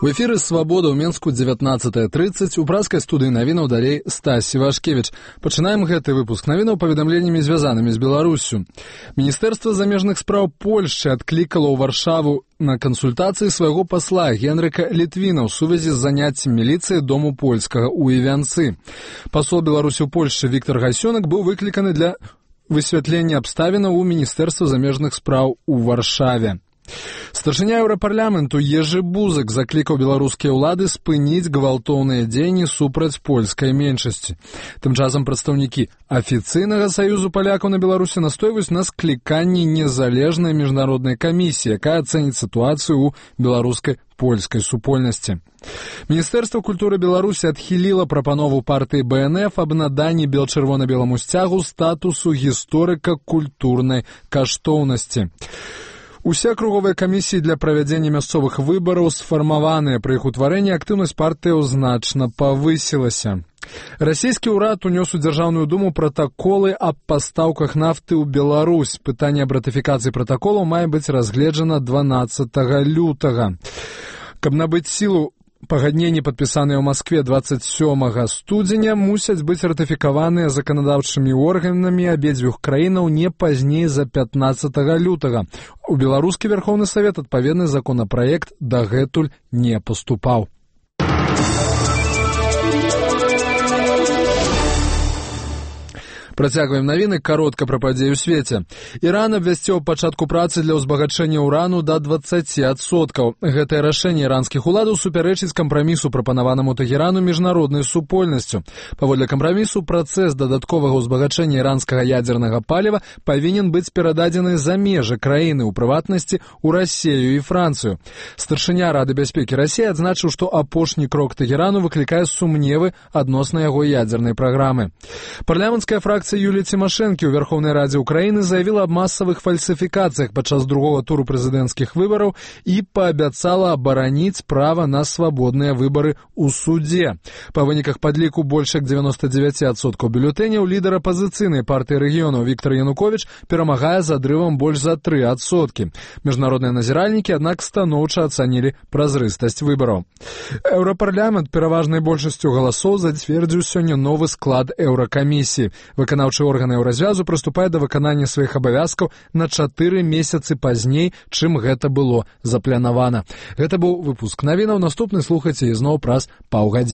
У эфіры «Свабода» ў Менску 19:30. У праскай студыі навінаў далей Стась Івашкевіч. Пачынаем гэты выпуск навінаў паведамленнямі, звязанымі з Беларуссю. Міністэрства замежных спраў Польшчы адклікала ў Варшаву на кансультацыі свайго пасла Генрыка Літвіна ў сувязі з заняццем міліцыі дому польскага ў Івянцы. Пасол Беларусі ў Польшчы Віктор Гасёнак быў выкліканы для высвятлення абставінаў у Міністэрства замежных спраў у Варшаве. Старшыня Еўрапарламенту Ежы Бузак заклікаў беларускія ўлады спыніць гвалтоўныя дзеянні супраць польскай меншасці. Тым часам прадстаўнікі афіцыйнага саюзу палякаў на Беларусі настойваюць на скліканні незалежнай міжнароднай камісіі, якая ацэніць сітуацыю ў беларускай польскай супольнасці. Міністэрства культуры Беларусі адхіліла прапанову партыі БНФ аб наданні бел-чырвона-беламу сцягу статусу гісторыка-культурнай каштоўнасці. Усе акруговыя камісіі для правядзення мясцовых выбараў сфармаваныя. Пры іх утварэнні актыўнасць партыяў значна павысілася. Расійскі ўрад унёс у Дзяржаўную думу пратаколы аб пастаўках нафты ў Беларусь. Пытанне аб ратыфікацыі пратаколаў мае быць разгледжана 12 лютага. Каб набыць сілу, пагадненні, падпісаныя ў Маскве 27 студзеня, мусяць быць ратыфікаваныя заканадаўчымі органамі абедзвюх краінаў не пазней за 15 лютага. У беларускі Верхоўны Савет адпаведны законапраект дагэтуль не паступаў. Працягваем навіны каротка пра падзеі ў свеце. Іран абвясціў пачатку працы для ўзбагачэння ўрану да 20%. Гэтае рашэнне іранскіх уладаў супярэчыць кампрамісу, прапанаванаму Тэхерану міжнароднай супольнасцю. Паводле кампрамісу, працэс дадатковага ўзбагачэння іранскага ядзернага паліва павінен быць перададзены за межы краіны, у прыватнасці ў Расею і Францыю. Старшыня Рады бяспекі Расіі адзначыў, што апошні крок Тэхерану выклікае сумневы адносна яго ядзернай праграмы. Парламенцкая фракцыя Юліі Цімашэнкі ў Верхоўнай Радзе Украіны заявіла аб масавых фальсіфікацыях падчас другога туру прэзідэнцкіх выбараў і паабяцала абараніць права на свабодныя выбары ў судзе. Па выніках падліку больш як 99% бюлетэняў лідар апазіцыйнай партыі рэгіёнаў Віктор Януковіч перамагае з адрывам больш за 3%. Міжнародныя назіральнікі, аднак, станоўча ацанілі празрыстасць выбараў. Еўрапарламент пераважнай большасцю галасоў зацвердзіў сёння новы склад еўракамісіі. Выканаўчы органы еўразвязу прыступае да выканання сваіх абавязкаў на 4 месяцы пазней, чым гэта было запланавана. Гэта быў выпуск навінаў. Наступны слухайце ізноў праз паўгадзіны.